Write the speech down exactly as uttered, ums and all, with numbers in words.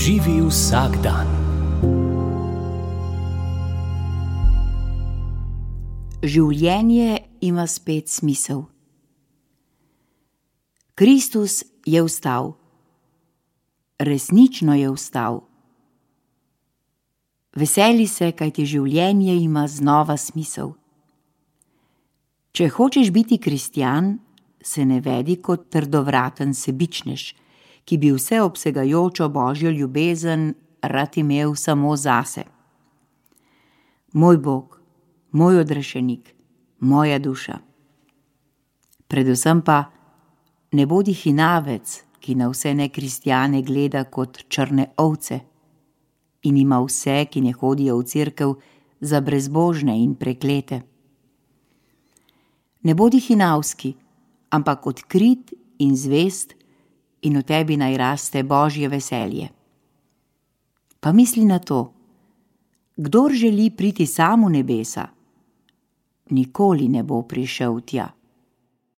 Živi vsak dan. Življenje ima spet smisel. Kristus je vstal. Resnično je vstal. Veseli se, kajti življenje ima znova smisel. Če hočeš biti kristjan, se ne vedi kot trdovraten sebičnež, ki bi vseobsegajočo Božjo ljubezen rad imel samo zase. Moj Bog, moj odrešenik, moja duša. Predvsem pa ne bodi hinavec, ki na vse nekristjane gleda kot črne ovce in ima vse, ki ne hodijo v cerkev, za brezbožne in preklete. Ne bodi hinavski, ampak odkrit in zvest, in v tebi naj raste Božje veselje. Pa misli na to, kdor želi priti sam v nebesa, nikoli ne bo prišel tja.